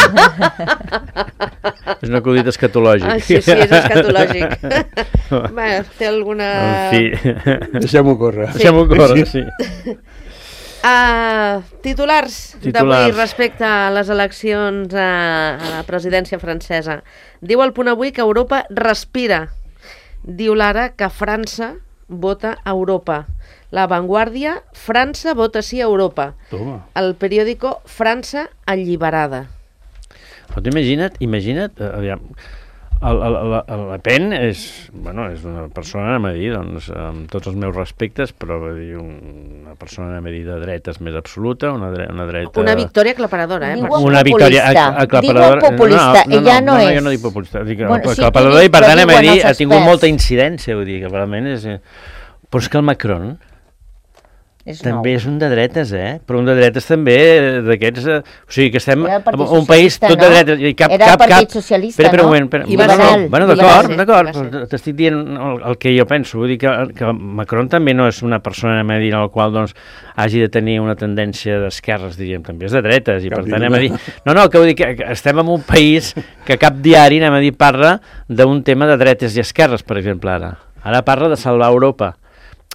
És un acudit escatològic. Ah, sí, sí, és escatològic. Bé, té alguna... En fi, Deixem-ho córrer. deixem-ho córrer, sí. Uh, titulars, d'avui Titulars. respecte a les eleccions a, a la presidència francesa. Diu el Punt Avui que Europa respira. Diu l'Ara que França vota a Europa. La Vanguardia, França vota sí a Europa. Toma. El periòdico França alliberada. Però tu imagina't, imagina't, eh, aviam, el, el, el, el Le Pen és, bueno, és una persona, anem a dir, doncs, amb tots els meus respectes, però vull dir, una persona, anem a dir, de dretes més absoluta, una, dre una dreta... Una victòria aclaparadora, eh? Diu per Una populista. victòria ac- aclaparadora. Diu populista, no, no, ella no no, és. jo no dic populista, dic Bueno, sí, aclaparadora, diu- i per però tant, anem a diuen dir, els ha tingut experts. molta incidència, vull dir, que realment és... eh, Però és que el Macron És també nou. és un de dretes, eh? Però un de dretes també eh, d'aquests... eh, O sigui, que estem Era el Partit un país Socialista, tot de no? dretes. I cap, Era el cap, Partit cap... Socialista, espera, espera un no? moment. Espera, I va bueno, ser. bueno, I va d'acord, ser, d'acord, i va però t'estic dient el, el que jo penso. Vull dir que, que Macron també no és una persona, anem a dir, en la qual doncs, hagi de tenir una tendència d'esquerres, diríem, també és de dretes, i Cap per tant ni anem a dir... una. No, no, que vull dir que que estem en un país que cap diari, anem a dir, parla d'un tema de dretes i esquerres, per exemple, ara. Ara parla de salvar Europa.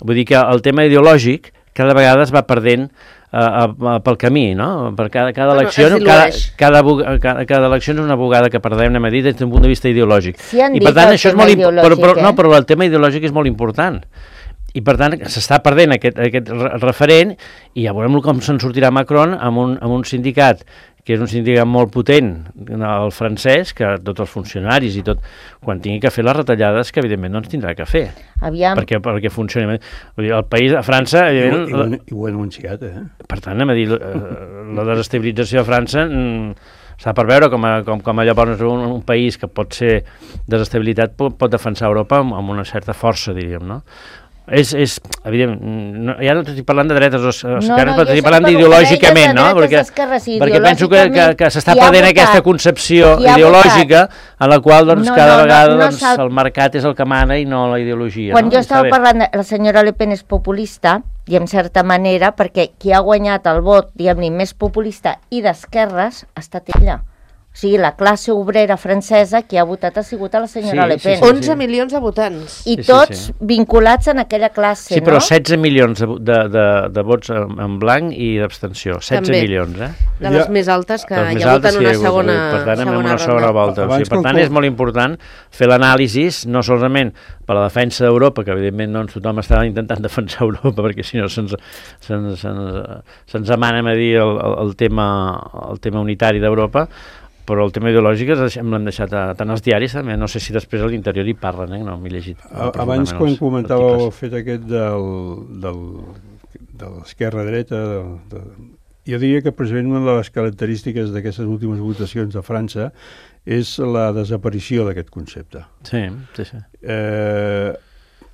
Vull dir que el tema ideològic cada vegada es va perdent uh, uh, pel camí, no? Per cada, cada Bueno, elecció, es cada, dilueix. cada, bu- cada, cada elecció és una bugada que perdem, anem a dir, des d'un punt de vista ideològic. Sí han I dit per tant el això és tema molt important, però, però, ideològic, no, eh? però el tema ideològic és molt important. I per tant s'està perdent aquest, aquest re- referent i ja veurem com se'n sortirà Macron amb un, amb un sindicat que és un sindicat molt potent, el francès, que tots els funcionaris i tot, quan tingui que fer les retallades, que evidentment no ens tindrà que fer, Aviam, perquè, perquè funcioni. Vull dir, el país, a França, I, ho- i, ho, evidentment, han- i ho he anunciat, eh? per tant, anem a dir, eh, la desestabilització de França mm, està per veure com, a, com, com llavors un, un país que pot ser desestabilitat pot, pot defensar Europa amb, amb una certa força, diríem, no? És, és evident, no, ja no estic parlant de dretes o esquerres, no, però jo estic sé parlant que ideològicament, no? deies de dretes, Perquè, esquerres i perquè penso que, que, ideològicament, que s'està qui ha perdent votat? aquesta concepció Qui ha ideològica en la qual doncs, No, cada no, no, vegada no doncs, s'ha- el mercat és el que mana i no la ideologia. quan no? jo I està estava bé. parlant, de, la senyora Le Pen és populista, i en certa manera, perquè qui ha guanyat el vot, diguem-ne, més populista i d'esquerres, ha estat ella. O sigui, la classe obrera francesa qui ha votat ha sigut a la senyora Sí, Le sí, Pen. sí. onze milions de votants. I Sí, sí, tots sí. vinculats en aquella classe, Sí, però no? setze milions de, de, de, de vots en, en blanc i d'abstenció. setze També. milions, eh? De Ja- les més altes que Les hi més ha hagut altes en que hi una ha hagut, segona, per tant, anem segona en una ronda. segona volta. O Abans sigui, per que tant, el- és molt important fer l'anàlisi, no solament per la defensa d'Europa, que evidentment doncs, tothom està intentant defensar Europa, perquè si no se'ns se se se amana a dir el, el, el, tema, el tema unitari d'Europa, però el tema ideològic l'hem deixat a, tant als diaris també, no sé si després a l'interior hi parlen, eh? No m'he llegit. A- Abans, profundament quan els comentàveu el articles. fet aquest del, del, de l'esquerra-dreta, de, de, jo diria que precisament una de les característiques d'aquestes últimes votacions a França és la desaparició d'aquest concepte. Sí, sí, sí. Eh,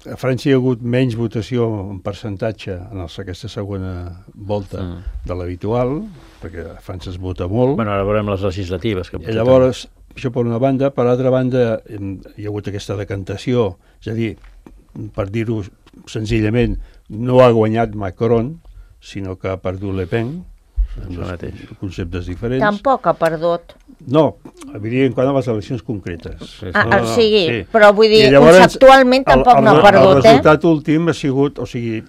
a França hi ha hagut menys votació en percentatge en els, aquesta segona volta Mm. de l'habitual, perquè a França es vota molt. Bueno, ara veurem les legislatives. Que I llavors, això per una banda. Per l'altra banda, hi ha hagut aquesta decantació, és a dir, per dir-ho senzillament, no ha guanyat Macron, sinó que ha perdut Le Pen, conceptes diferents. Tampoc ha perdut. No, evidentment, quant a les eleccions concretes. Ah, no, no, o sigui, sí. però vull dir, llavors, conceptualment tampoc el, el, no ha perdut, el eh? El resultat últim ha sigut, o sigui,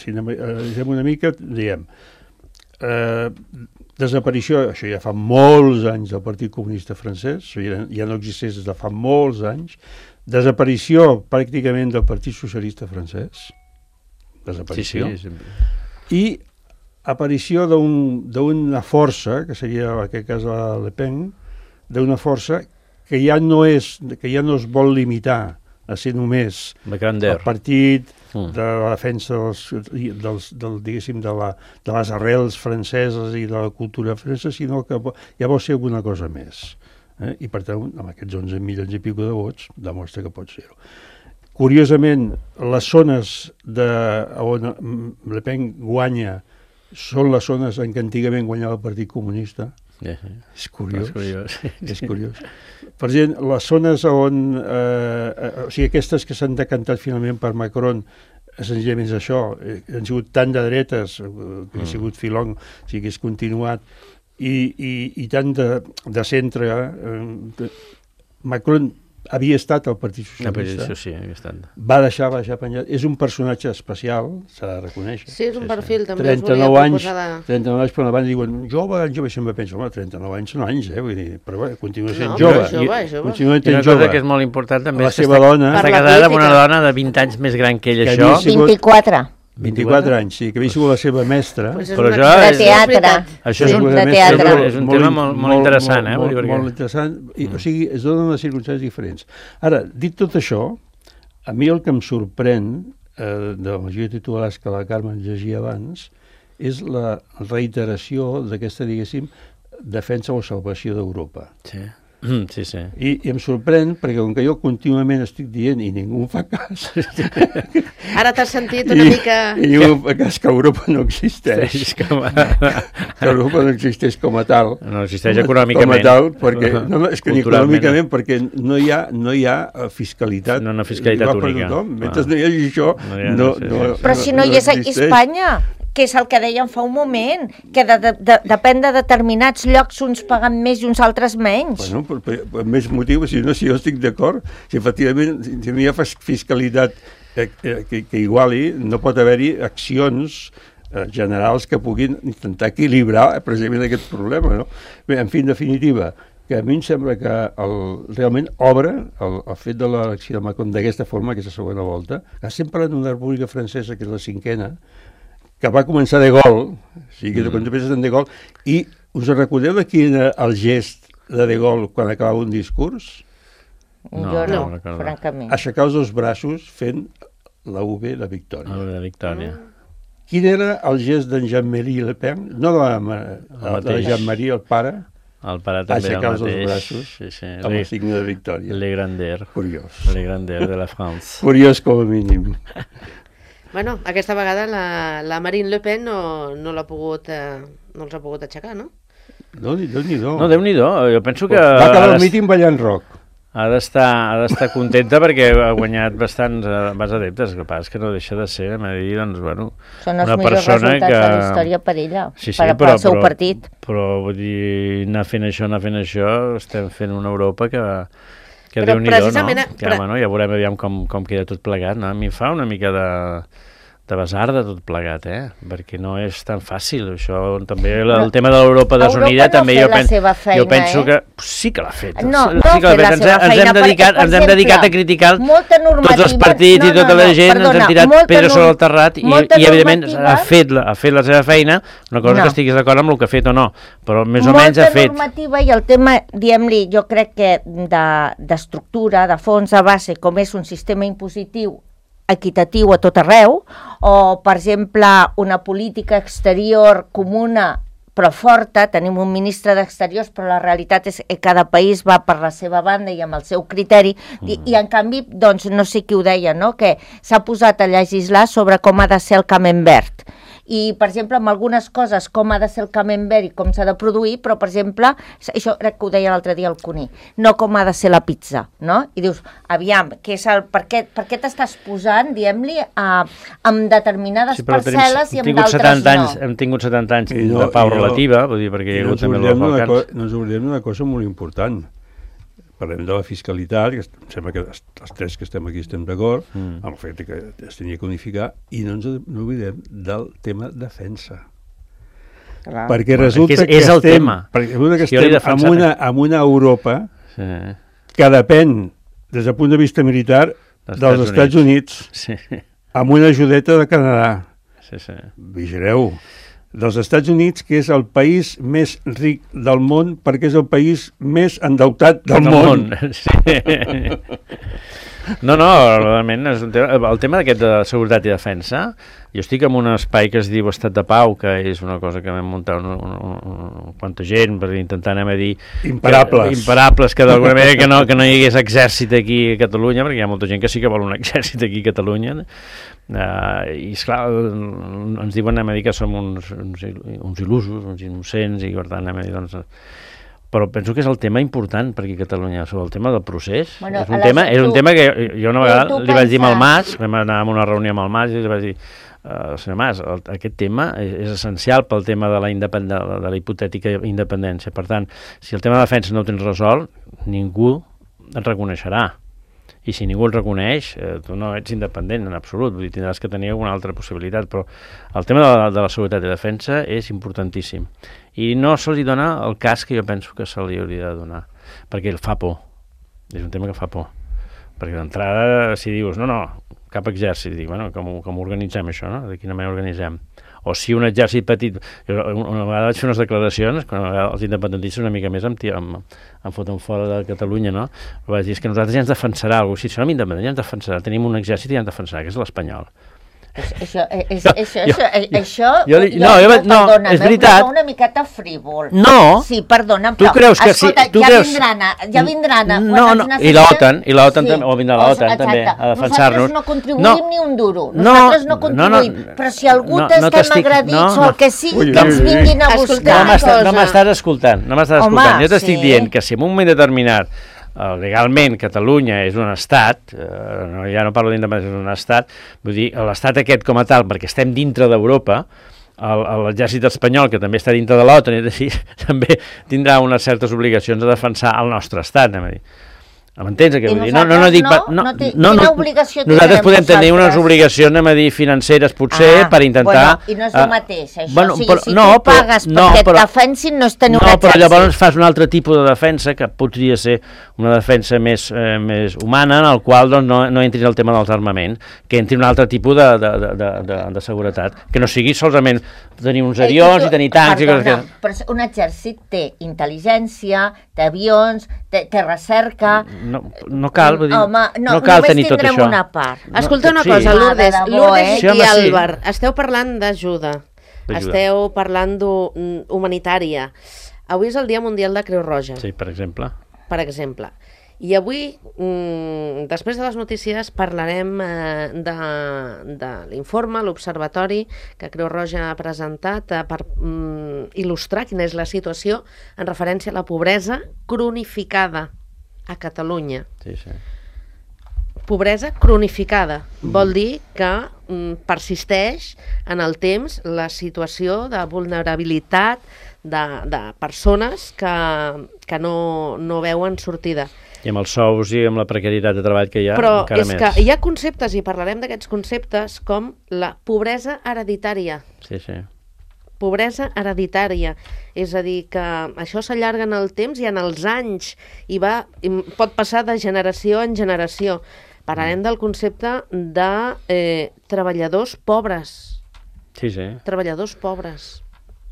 si anem una mica, diem, eh, desaparició, això ja fa molts anys del Partit Comunista francès, ja, ja no existeix des de fa molts anys, desaparició pràcticament del Partit Socialista francès, desaparició, sí, sí, i aparició d'una força, que seria en aquest cas la Le Pen, d'una força que ja no és, que ja no es vol limitar a ser només el partit mm. de la defensa dels, dels, del, diguéssim, de, la, de les arrels franceses i de la cultura francesa, sinó que ja vol ser alguna cosa més. Eh? I per tant, amb aquests onze milions i pico de vots, demostra que pot ser-ho. Curiosament, les zones de, on Le Pen guanya són les zones en què antigament guanyava el Partit Comunista. Yeah, yeah. És curiós. És curiós. És curiós. Per exemple, les zones on... Eh, eh, o sigui, aquestes que s'han decantat finalment per Macron, senzillament és això, eh, han sigut tan de dretes, eh, que ha sigut filong, o sigui, que és continuat, i, i, i tant de, de centre. Eh, Macron havia estat al Partit Socialista, sí, havia estat. Va deixar, va deixar penjat. És un personatge especial, s'ha de reconèixer. Sí, és un perfil, sí, sí. També trenta-nou anys, de... trenta-nou anys, però abans diuen, jove, jove, sempre penso, home, trenta-nou anys són anys, eh, vull dir, però bé, continua sent no, jove. jove, jove. Continua sent jove. Una cosa que és molt important també la és que seva està, dona, està casada amb una dona de vint anys més gran que ell, que això. vint-i-quatre. vint-i-quatre anys, sí, que havia sigut la seva mestra. Pues però això de és... teatre. Això és un, de teatre. és un tema molt, molt interessant, eh? Molt, molt, molt interessant, i, o sigui, es donen les circumstàncies diferents. Ara, dit tot això, a mi el que em sorprèn eh, de la majoria de titulars que la Carme llegia abans és la reiteració d'aquesta, diguéssim, defensa o salvació d'Europa. Sí. Mm, sí, sí. I, I em sorprèn perquè com que jo contínuament estic dient i ningú em fa cas... Ara t'has sentit una I, mica... I ningú em fa cas que Europa no existeix. Sí, com a... que Europa no existeix com a tal. No existeix econòmicament. Com a tal, perquè... No, no, és que ni econòmicament, perquè no hi ha, no hi ha fiscalitat. No, no fiscalitat única. Mentre ah. no hi hagi això, no... Hi ha, no, no, no, no però si no, no hi és a Espanya... que és el que dèiem fa un moment, que de, de, de, depèn de determinats llocs uns paguen més i uns altres menys. Bueno, per, per, per més motiu, si no, si jo estic d'acord, si efectivament si no hi ha fiscalitat eh, que, que iguali, no pot haver-hi accions eh, generals que puguin intentar equilibrar eh, precisament aquest problema, no? Bé, en fi, en definitiva, que a mi em sembla que el, realment obre el, el fet de l'elecció de Macron d'aquesta forma, aquesta segona volta, que estem parlant d'una república francesa, que és la cinquena, que va començar de gol, o sigui, que mm. quan tu penses en de gol, i us recordeu de quin era el gest de de gol quan acabava un discurs? No, jo no, no, no francament. Aixecar els dos braços fent la U de victòria. La U de victòria. Mm. Quin era el gest d'en Jean-Marie Le Pen? No de, la, de Jean-Marie, el pare? El pare també era el mateix. Aixecar els braços sí, sí. amb el signe de victòria. Le grandeur. Curiós. Le grandeur de la France. Curiós com a mínim. Bueno, aquesta vegada la, la Marine Le Pen no, no l'ha pogut, eh, no els ha pogut aixecar, no? No, Déu-n'hi-do. No, Déu-n'hi-do. Jo penso que... Va acabar el míting ballant rock. Ha d'estar ha d'estar contenta perquè ha guanyat bastants, bastants adeptes. El que passa és que no deixa de ser, m'ha de dir, doncs, bueno, són els una millors persona resultats que... de la història per ella, sí, sí, per, però, per al seu però, partit. Però, vull dir, anar fent això, anar fent això, estem fent una Europa que... que però Déu-n'hi-do, no? precisament... Que, home, no? Ja veurem aviam com, com queda tot plegat, no? A mi em fa una mica de... de basar de tot plegat, eh? Perquè no és tan fàcil, això també el, el tema de l'Europa desunida no també jo, pen, feina, jo penso eh? que sí que l'ha fet. No, sí, no sí que l'ha fet. Ens, ens hem dedicat, perquè, ens hem dedicat a criticar tots els partits no, i tota no, la gent, perdona, ens hem tirat pedra sobre el terrat i, i evidentment ha fet, ha fet la seva feina, una cosa no. que estiguis d'acord amb el que ha fet o no, però més o molta menys ha fet. Molta normativa i el tema, diguem-li, jo crec que d'estructura, de, de fons a base, com és un sistema impositiu equitatiu a tot arreu, o, per exemple, una política exterior comuna però forta, tenim un ministre d'Exteriors, però la realitat és que cada país va per la seva banda i amb el seu criteri, mm. i, i en canvi, doncs, no sé qui ho deia, no?, que s'ha posat a legislar sobre com ha de ser el Camembert. i, per exemple, amb algunes coses, com ha de ser el camembert i com s'ha de produir, però, per exemple, això crec que ho deia l'altre dia el Cuní, no com ha de ser la pizza, no? I dius, aviam, què és el, per què, per què t'estàs posant, diguem-li, amb determinades sí, parcel·les i amb d'altres no? Anys, hem tingut setanta anys no, de pau relativa, vull dir, perquè hi ha hagut també els Balcans. No ens oblidem d'una cosa molt important. Parlem de la fiscalitat, que em sembla que els tres que estem aquí estem d'acord, mm. amb el fet que es tenia que unificar, i no ens no oblidem del tema defensa. Clar. Perquè resulta bueno, és, és que el estem, tema. perquè que si estem en una, en una Europa sí. que depèn, des del punt de vista militar, dels Estats, Estats Units, Units sí. amb una ajudeta de Canadà. Sí, sí. Vigileu. Dels Estats Units, que és el país més ric del món, perquè és el país més endeutat del, del món. món. Sí. No, no, realment, és un tema, el tema d'aquest de seguretat i defensa, jo estic en un espai que es diu Estat de Pau, que és una cosa que vam muntar una, una, una, una quanta gent per intentar, anem a dir... Imparables. Que, imparables, que d'alguna manera que no, que no hi hagués exèrcit aquí a Catalunya, perquè hi ha molta gent que sí que vol un exèrcit aquí a Catalunya, uh, i esclar, ens diuen, anem a dir que som uns, uns, uns il·lusos, uns innocents, i per tant anem a dir, doncs... Però penso que és el tema important per aquí a Catalunya, sobre el tema del procés. Bueno, és, un tema, és un tema que jo una vegada li vaig dir al Mas, vam anar a una reunió amb el Mas i li vaig dir, uh, senyor Mas, el, aquest tema és, és essencial pel tema de la, independ... de la hipotètica independència. Per tant, si el tema de defensa no ho tens resolt, ningú et reconeixerà. I si ningú el reconeix, eh, tu no ets independent en absolut, vull dir, tindràs que tenir alguna altra possibilitat, però el tema de la, de la seguretat i defensa és importantíssim. I no se li dona el cas que jo penso que se li hauria de donar, perquè el fa por, és un tema que fa por. Perquè d'entrada, si dius, no, no, cap exèrcit, dic, bueno, com, com organitzem això, no? De quina manera organitzem? O si un exèrcit petit... Jo una vegada vaig fer unes declaracions, quan els independentistes una mica més em, em, em foten fora de Catalunya, no? Però vaig dir, és que nosaltres ja ens defensarà algú. Si som independents ja ens defensarà. Tenim un exèrcit i ja ens defensarà, que és l'espanyol. Això, és, això, això, això, jo, jo, no, jo, no, perdona, és veritat. Una miqueta frívol. No. Sí, perdona'm, tu però, creus que escolta, sí, tu ja creus... vindran, ja vindran. No, no, i l'OTAN, i l'OTAN sí. també, o vindrà l'OTAN o, també, a defensar-nos. Nosaltres no contribuïm no. ni un duro, no, nosaltres no contribuïm, no, no, però si algú no, t'estem no agredits no, o el que sigui, que ens vinguin a buscar. No m'estàs escoltant, no m'estàs escoltant. Jo t'estic dient que si en un moment determinat Uh, legalment Catalunya és un estat, uh, no, ja no parlo d'independència, és un estat, vull dir, l'estat aquest com a tal, perquè estem dintre d'Europa, l'exèrcit espanyol, que també està dintre de l'OTAN, és així, també tindrà unes certes obligacions a defensar el nostre estat, anem a dir. M'entens què vull dir? No, no, no, dic, no, no, no, té, no, no, nosaltres podem tenir unes obligacions, anem a dir, financeres, potser, ah, per intentar... Bueno, i no és el mateix, això. Bueno, o sigui, però, si no, tu pagues no, perquè però, et defensin, no és tenir no, un exèrcit. No, però llavors fas un altre tipus de defensa, que podria ser una defensa més, eh, més humana, en el qual doncs, no, no entri el tema dels armaments, que entri un altre tipus de, de, de, de, de, de seguretat, que no sigui solament tenir uns avions i, tu, i tenir tancs... Perdona, i coses que... però un exèrcit té intel·ligència, té avions, té, té recerca... No, no cal, vull dir, home, no, no cal tenir tot això. Una part. No, Escolta una sí. cosa, Lourdes, ah, debò, Lourdes eh? sí, i Àlvar, sí. Esteu parlant d'ajuda, esteu parlant d'humanitària. Avui és el Dia Mundial de Creu Roja. Sí, per exemple. Per exemple. I avui, mmm, després de les notícies, parlarem eh, de, de l'informe, l'observatori que Creu Roja ha presentat eh, per mm, il·lustrar quina és la situació en referència a la pobresa cronificada a Catalunya. Sí, sí. Pobresa cronificada. Vol dir que mm, persisteix en el temps la situació de vulnerabilitat de, de persones que, que no, no veuen sortida. I amb els sous i amb la precarietat de treball que hi ha, però encara és més. Però és que hi ha conceptes, i parlarem d'aquests conceptes, com la pobresa hereditària. Sí, sí. Pobresa hereditària, és a dir, que això s'allarga en el temps i en els anys, i va, i pot passar de generació en generació. Parlarem del concepte de eh, treballadors pobres. Sí, sí. Treballadors pobres.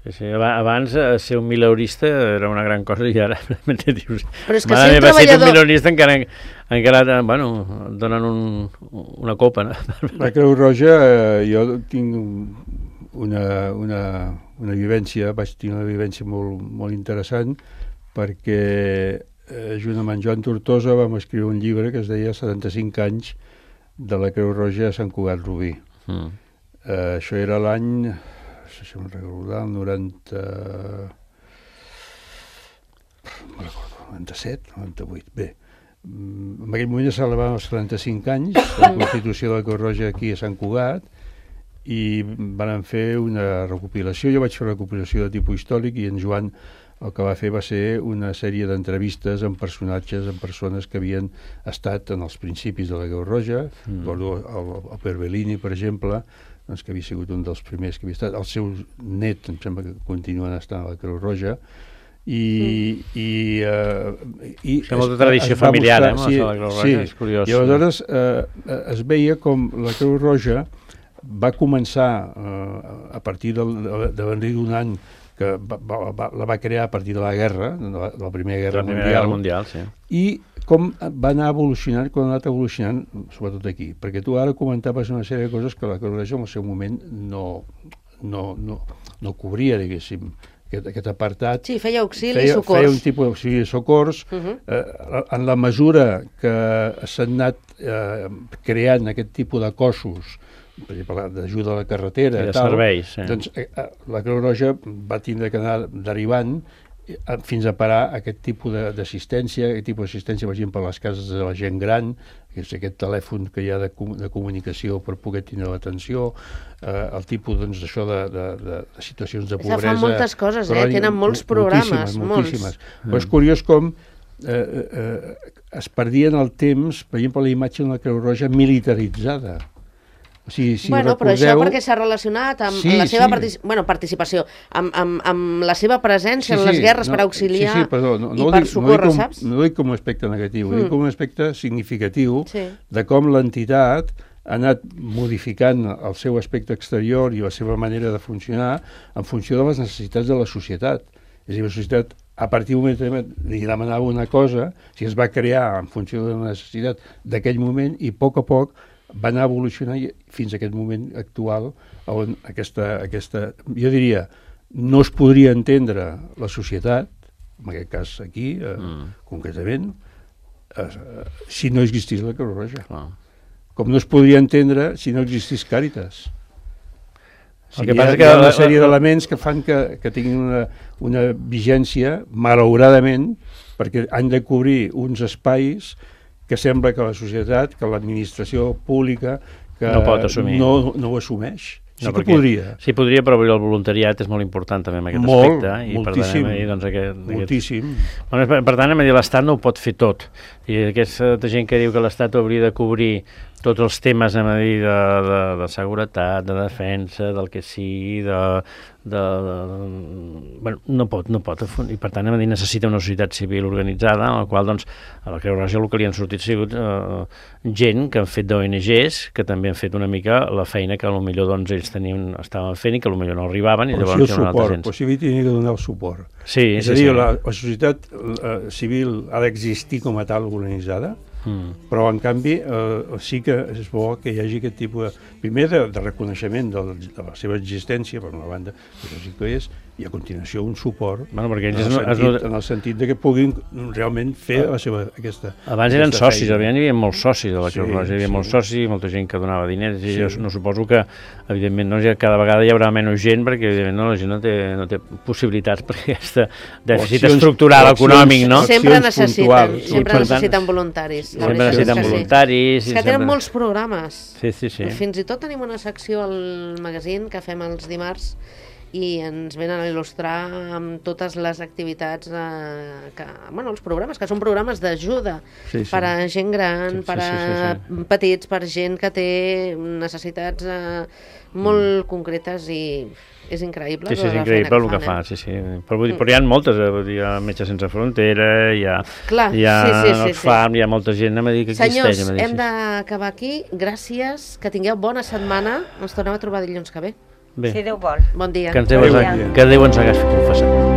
Sí, sí. Abans ser un mileurista era una gran cosa i ara dius, però és que ser treballador... ser un mileurista encara, encara bueno, donen un, una copa. No? La Creu Roja, eh, jo tinc una, una, una vivència, vaig tenir una vivència molt, molt interessant, perquè eh, junt amb en Joan Tortosa vam escriure un llibre que es deia setanta-cinc anys de la Creu Roja a Sant Cugat Rubí. Mm. Eh, això era l'any si me'n recordo, el noranta... no me'n recordo, noranta-set, noranta-vuit, bé. En aquell moment ja celebraven els trenta-cinc anys de la Constitució de la Creu Roja aquí a Sant Cugat i van fer una recopilació. Jo vaig fer una recopilació de tipus històric i en Joan el que va fer va ser una sèrie d'entrevistes amb personatges, amb persones que havien estat en els principis de la Creu Roja. Mm. El, el, el Perbellini, per exemple, doncs, que havia sigut un dels primers que havia estat. El seu net, em sembla que continuen estant a la Creu Roja. I, mm. i, uh, i és molta tradició familiar, mostrar, eh, sí, la Creu Roja, sí, és curiós. I aleshores uh, es veia com la Creu Roja va començar uh, a partir del, de, de venir d'un any que va, va, la va crear a partir de la guerra, de la, de la Primera Guerra la primera Mundial, guerra mundial sí. I com va anar evolucionant, com ha anat evolucionant, sobretot aquí, perquè tu ara comentaves una sèrie de coses que la Creu Roja en el seu moment no, no, no, no cobria, diguéssim, aquest, aquest apartat. Sí, feia auxili feia, i socors. Feia un tipus d'auxili i socors. Uh -huh. eh, en la mesura que s'han anat eh, creant aquest tipus de cossos, per exemple, d'ajuda a la carretera, i de tal, serveis, sí. Doncs eh, la Creu Roja va tindre que anar derivant eh, fins a parar aquest tipus d'assistència, aquest tipus d'assistència, per exemple, a les cases de la gent gran, que és aquest telèfon que hi ha de, de comunicació per poder tenir l'atenció, eh, el tipus, doncs, d'això de, de, de, de situacions de pobresa. Fan moltes coses, eh? Tenen molts programes, moltíssimes, moltíssimes. molts. Però és curiós com eh, eh, es perdien el temps, per exemple, la imatge d'una Creu Roja militaritzada. O sigui, si bueno, recordeu... però això perquè s'ha relacionat amb sí, la seva sí. partici... bueno, participació, amb, amb, amb la seva presència sí, en les sí, guerres no, per auxiliar sí, sí, perdó, no, i no per dic, socórrer, no com, saps? No ho dic com un aspecte negatiu, mm. ho dic com un aspecte significatiu sí. de com l'entitat ha anat modificant el seu aspecte exterior i la seva manera de funcionar en funció de les necessitats de la societat. És a dir, la societat, a partir d'un moment, li demanava una cosa, si es va crear en funció de la necessitat d'aquell moment, i a poc a poc va anar evolucionant fins a aquest moment actual on aquesta, aquesta, jo diria, no es podria entendre la societat, en aquest cas aquí, eh, mm. concretament, eh, si no existís la Creu Roja. Clar. Com no es podria entendre si no existís Càritas. O sigui, el que passa hi ha, que hi ha una sèrie d'elements que fan que, que tinguin una, una vigència, malauradament, perquè han de cobrir uns espais que sembla que la societat, que l'administració pública que no pot assumir. No, no ho assumeix. Sí no, que podria. Sí, podria, però el voluntariat és molt important també en aquest molt, aspecte. I moltíssim. Per tant, doncs, aquest, moltíssim. Aquest... Bueno, per, per tant, a dir, l'Estat no ho pot fer tot. I aquesta gent que diu que l'Estat hauria de cobrir tots els temes a dir, de, de, de seguretat, de defensa, del que sigui, de, de, de, bueno, no pot, no pot. I per tant, a dir, necessita una societat civil organitzada, en la qual, doncs, a la Creu Roja el que li han sortit ha sigut eh, gent que han fet d'O N Ges, que també han fet una mica la feina que potser doncs, ells tenien, estaven fent i que potser no arribaven. I però llavors sí el suport, però sí que havia de donar el suport. Sí, és sí, a dir, sí. La, la societat eh, civil ha d'existir com a tal organitzada, Mm. però en canvi eh, sí que és bo que hi hagi aquest tipus de, primer de, de reconeixement de, de la seva existència, per una banda, això sí que és, i a continuació un suport bueno, perquè en, el no, sentit, no... en el sentit de que puguin realment fer la seva, aquesta abans eren aquesta socis, feina. Hi havia molts socis de la Creu Roja, hi havia sí. molts socis, molta gent que donava diners, i sí. jo no suposo que, evidentment, no, cada vegada hi haurà menys gent, perquè, evidentment, no, la gent no té, no té possibilitats per aquest dèficit accions, estructural accions, econòmic, no? Sempre necessiten, puntuals. sempre sí, necessiten voluntaris. Sempre necessiten sí. voluntaris. És que tenen sempre... molts programes. Sí, sí, sí. Fins i tot tenim una secció al magazín que fem els dimarts i ens venen a il·lustrar amb totes les activitats, eh, que, bueno, els programes, que són programes d'ajuda sí, sí. per a gent gran, sí, per a sí, sí, sí. petits, per gent que té necessitats eh, molt mm. concretes i és increïble. Sí, sí, és increïble el que fa, sí, sí. Però, vull dir, però hi ha moltes, hi ha Metges Sense Frontera, hi ha, Clar, hi ha sí, sí, sí, Oxfam, sí. hi ha molta gent, anem a dir que Senyors, existeix. Senyors, hem d'acabar aquí. Gràcies, que tingueu bona setmana. Ens tornem a trobar dilluns que ve. Bé. Si Déu vol. Bon dia. Que, Déu, que Déu ens hagués confessat.